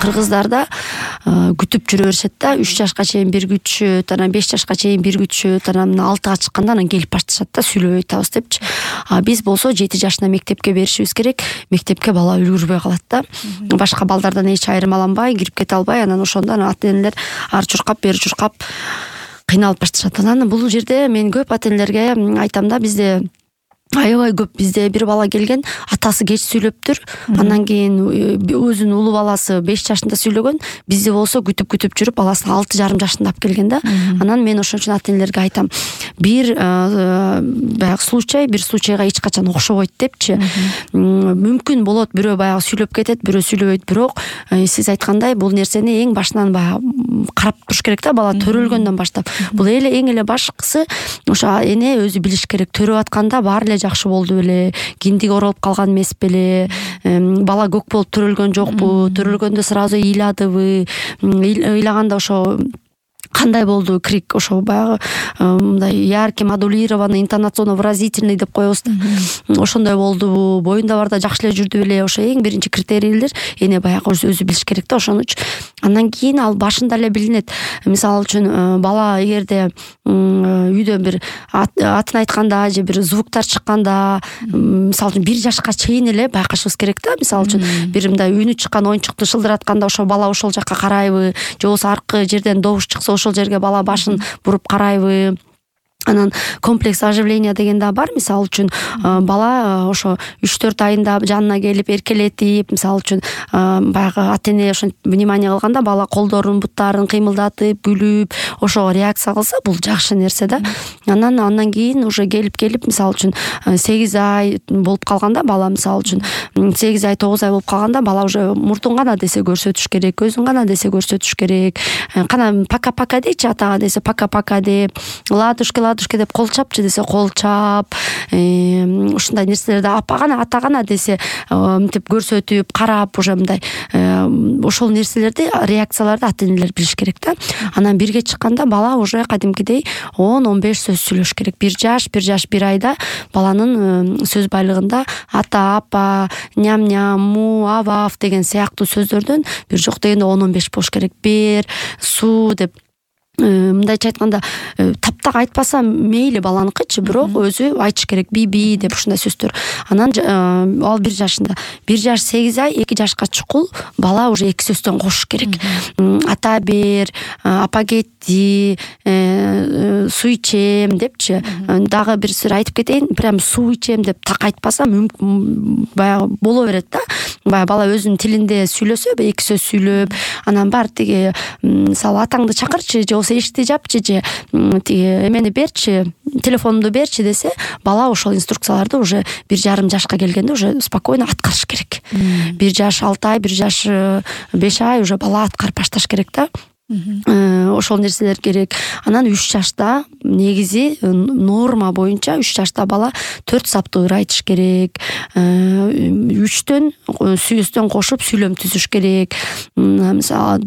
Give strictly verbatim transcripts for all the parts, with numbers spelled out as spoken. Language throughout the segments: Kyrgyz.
кыргыздарда күтүп жүрө беришет да. үч жашка чейин бир күтүшөт, анан беш жашка чейин бир күтүшөт, анан алтыга чыкканда анан келип башташат да, сүйлөбөй атабыз депчи. А биз болсо жети жашында мектепке беришибиз керек. Мектепке бала үлгүрбөй калат да. Башка балдардан эч айырмаланбай, кирип кете албай, анан ошондо ата-энелер ар чуркап, бери чуркап кыйналып башташат. Анан бул жерде мен көп ата-энелерге айтам да, бизде аябай көп, бизде бир бала келген, атасы кеч сүйлөптүр, андан кийин өзүнүн улуу баласы беш жашында сүйлөгөн, бизде болсо күтүп-күтүп жүрүп баласын алты жарым жашында алып келген да. Анан мен ошон үчүн ата-энелерге айтам, бир баягы случай бир случайга эч качан окшобойт депчи. Мүмкүн болот бирөө баягы сүйлөп кетет, бирөө сүйлөбөйт, бирок сиз айткандай бул нерсени эң башынан баягы карап туруш керек да, бала төрөлгөндөн баштап. Бул эле эң эле башкысы ошо эне өзү билиш керек, төрөп атканда баары эле жакшы болду беле, киндиги оролуп калган эмес беле, бала көк болуп төрөлгөн жокпу, төрөлгөндө сразу ыйладыбы, ыйлаганда ошо кандай болду, крик ошо баягы мындай яркий, модулированный, интонационно-выразительный деп коебуз да. Ошондой болдубу, боюнда барда жакшы эле жүрдү беле, ошо эң биринчи критерийлер эне баягы өзү билиш керек да. Ошон үчүн андан кийин ал башында эле билинет. Мисалы үчүн бала эгерде үйдөн бир атын айтканда же бир звуктар чыкканда, мисалы үчүн бир жашка чейин эле байкашыбыз керек да. Мисалы үчүн бир мындай үнү чыккан оюнчукту шылдыратканда ошо бала ошол жакка карайбы, же болбосо аркы жерден добуш чыкса ошол жерге бала башын буруп карайбы. Анан комплекс оживления деген да бар. Мисалы үчүн бала ошо үч төрт айында жанына келип эркелетип, мисалы үчүн баягы ата-эне ошо внимание кылганда бала колдорун, буттарын кыймылдатып, күлүп, ошо реакция кылса, бул жакшы нерсе да. Анан андан кийин уже келип келип, мисалы үчүн сегиз ай болуп калганда бала, мисалы үчүн сегиз ай, тогуз ай болуп калганда бала уже мурдун гана десе көрсөтүш керек, көзүн гана десе көрсөтүш керек. Кана пока-пока дейчи атага десе пока-пока деп, ладушки ладушки деп кол чапчы десе кол чап, ушундай нерселерди апа гана, ата гана десе мынтип көрсөтүп, карап, уже мындай ошол нерселерди, реакцияларды ата-энелер билиш керек да. Анан бирге чыкканда бала уже кадимкидей он он беш сөз сүйлөш керек. бир жаш, бир жаш бир айда баланын сөз байлыгында ата, апа, ням-ням, му, авав деген сыяктуу сөздөрдөн бир жок дегенде он он беш болуш керек. Бер, суу деп, мындайча айтканда таптак айтпаса мейли баланыкычы, бирок өзү айтыш керек. Би-би деп ушундай сөздөр. Анан ал бир жашында, бир жаш сегиз ай, эки жашка чукул бала уже эки сөздөн кошуш керек. Ата бер, апа кетти, суу ичем депчи. Дагы бир сөз айтып кетейин, прям суу ичем деп так айтпаса баягы боло берет да. Баягы бала өзүнүн тилинде сүйлөсө, эки сөз сүйлөп, анан бар тиги мисалы атаңды чакырчы, же эшикти жапчы, же тиги эмени берчи, телефонумду берчи десе, бала ошол инструкцияларды уже бир жарым жашка келгенде уже спокойно аткарыш керек. бир жаш алты ай, бир жаш беш ай уже бала аткарып башташ керек да. Ошол нерселер керек. Анан үч жашта негизи норма боюнча үч жашта бала төрт саптуу ыр айтыш керек. үчтөн сүйөстөн кошуп сүйлөм түзүш керек. Мисалы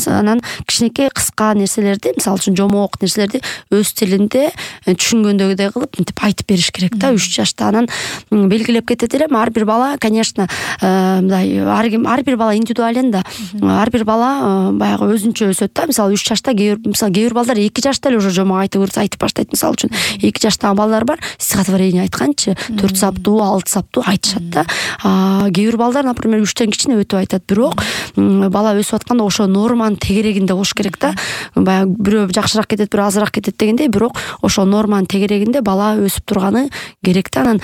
анан кичинекей кыска нерселерди, мисалы үчүн жомок нерселерди өз тилинде түшүнгөндөгүдөй кылып мынтип айтып бериш керек да үч жашта. Анан белгилеп кетет элем, ар бир бала, конечно, мындай ар бир бала индивидуален да. Ар бир бала баягы өзүнчө өсөт да. Мисалы үч жашта, мисалы кээ бир балдар эки жашта эле уже жомок айтып айтып баштайт. Мисалы үчүн эки жаштагы балдар бар, стихотворение айтканчы төрт саптуу, алты саптуу айтышат да. Кээ бир балдар, например, үчтөн кичине өтүп айтат. Бирок бала өсүп атканда ошо норманын тегерегинде болуш керек да. Баягы бирөө жакшыраак кетет, бирөө азыраак кетет дегендей, бирок ошо норманын тегерегинде бала өсүп турганы керек да. Анан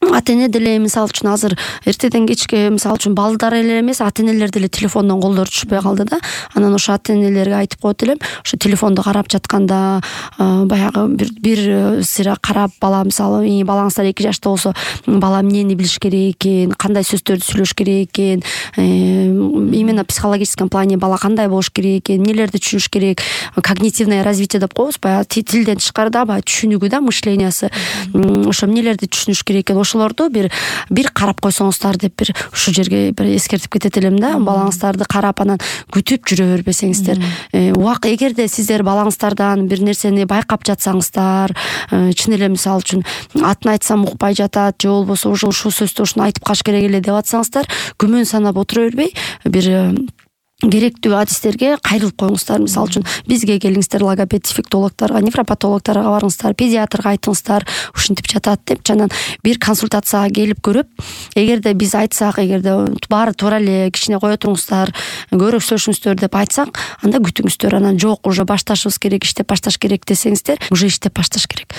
ата-эне деле мисалы үчүн азыр эртеден кечке мисалы үчүн балдар эле эмес, ата-энелер деле телефондон колдору түшпөй калды да. Анан ошо ата-энелерге айтып коет элем, ошо телефонду карап жатканда баягы бир бир сыйра карап, бала мисалы балаңыздар эки жашта болсо, бала эмнени билиш керек экен, кандай сөздөрдү сүйлөш керек экен, именно психологическом плане бала кандай болуш керек экен, эмнелерди түшүнүш керек, когнитивное развитие деп коебуз, баягы тилден тышкарыда баягы түшүнүгү да, мышлениясы, ошо эмнелерди түшүнүш керек экен, ошолорду оңдоолорду бир бир карап койсоңуздар деп бир ушул жерге бир эскертип кетет элем да. Балаңыздарды карап анан күтүп жүрө бербесеңиздер. Убак эгерде сиздер балаңыздардан бир нерсени байкап жатсаңыздар, чын эле мисалы үчүн атын айтсам укпай жатат же болбосо ушул сөздү ушуну айтып калыш керек эле деп атсаңыздар, күмөн санап отура бербей бир керектүү адистерге кайрылып коюңуздар. Мисалы үчүн бизге келиңиздер, логопед, дефектологторго, невропатологторго барыңыздар, педиатрга айтыңыздар, ушинтип жатат деп. Анан бир консультацияга келип көрүп, эгерде биз айтсак, эгерде баары туура эле, кичине кое туруңуздар, көрөксөшүңүздөр деп айтсак, анда күтүңүздөр. Анан жок, уже башташыбыз керек, иштеп башташ керек десеңиздер, уже иштеп башташ керек.